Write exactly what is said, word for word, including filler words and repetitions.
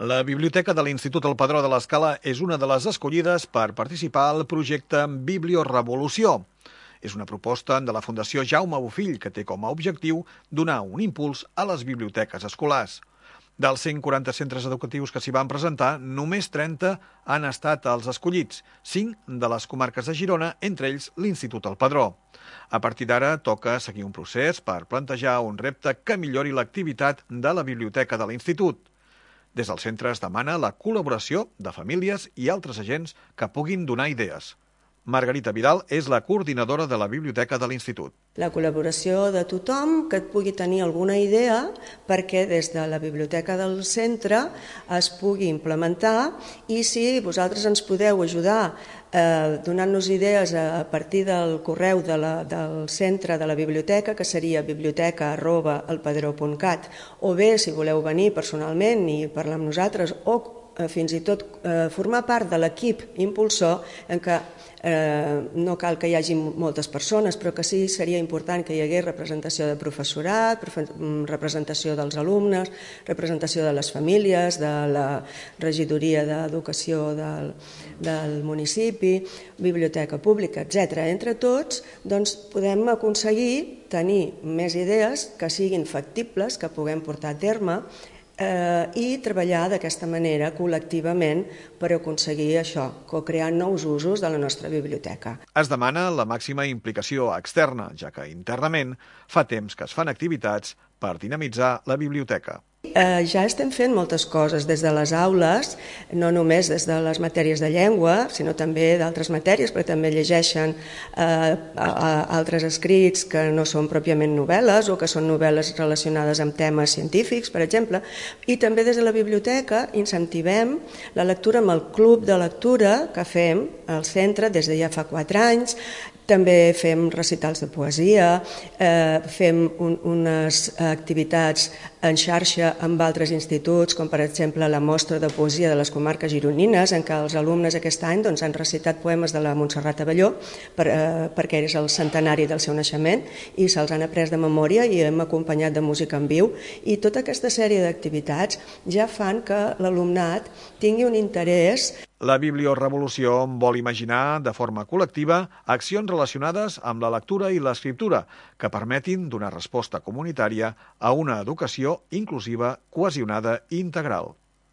La Biblioteca de l'Institut El Padró de l'Escala és una de les escollides per participar al projecte Bibliorevolució. És una proposta de la Fundació Jaume Bofill que té com a objectiu donar un impuls a les biblioteques escolars. Dels cent quaranta centres educatius que s'hi van presentar, només trenta han estat els escollits, cinc de les comarques de Girona, entre ells l'Institut El Padró. A partir d'ara toca seguir un procés per plantejar un repte que millori l'activitat de la biblioteca de l'Institut. Des del centre es demana la col·laboració de famílies i altres agents que puguin donar idees. Margarita Vidal és la coordinadora de la biblioteca de l'Institut. La col·laboració de tothom que pugui tenir alguna idea perquè des de la biblioteca del centre es pugui implementar, i si vosaltres ens podeu ajudar eh, donant-nos idees a partir del correu de la, del centre de la biblioteca, que seria biblioteca arroba elpadró punt cat, o bé si voleu venir personalment i parlar amb nosaltres, o eh, fins i tot eh, formar part de l'equip impulsor, en què Eh, no cal que hi hagi moltes persones, però que sí seria important que hi hagués representació de professorat, representació dels alumnes, representació de les famílies, de la regidoria d'educació del, del municipi, biblioteca pública, etcètera. Entre tots, doncs, podem aconseguir tenir més idees que siguin factibles, que puguem portar a terme, Eh, i treballar d'aquesta manera col·lectivament per aconseguir això, co-crear nous usos de la nostra biblioteca. Es demana la màxima implicació externa, ja que internament fa temps que es fan activitats per dinamitzar la biblioteca. Eh, ja estem fent moltes coses des de les aules, no només des de les matèries de llengua, sinó també d'altres matèries, perquè també llegeixen eh, a, a altres escrits que no són pròpiament novel·les o que són novel·les relacionades amb temes científics, per exemple, i també des de la biblioteca incentivem la lectura amb el club de lectura que fem al centre des de ja fa quatre anys. També fem recitals de poesia, eh, fem un, unes activitats en xarxa amb altres instituts, com per exemple la mostra de poesia de les comarques gironines, en què els alumnes aquest any doncs, han recitat poemes de la Montserrat Abelló, per, eh, perquè és el centenari del seu naixement, i se'ls han après de memòria i hem acompanyat de música en viu. I tota aquesta sèrie d'activitats ja fan que l'alumnat tingui un interès. La Bibliorevolució vol imaginar de forma col·lectiva accions relacionades amb la lectura i l'escriptura que permetin donar resposta comunitària a una educació inclusiva, cohesionada i integral.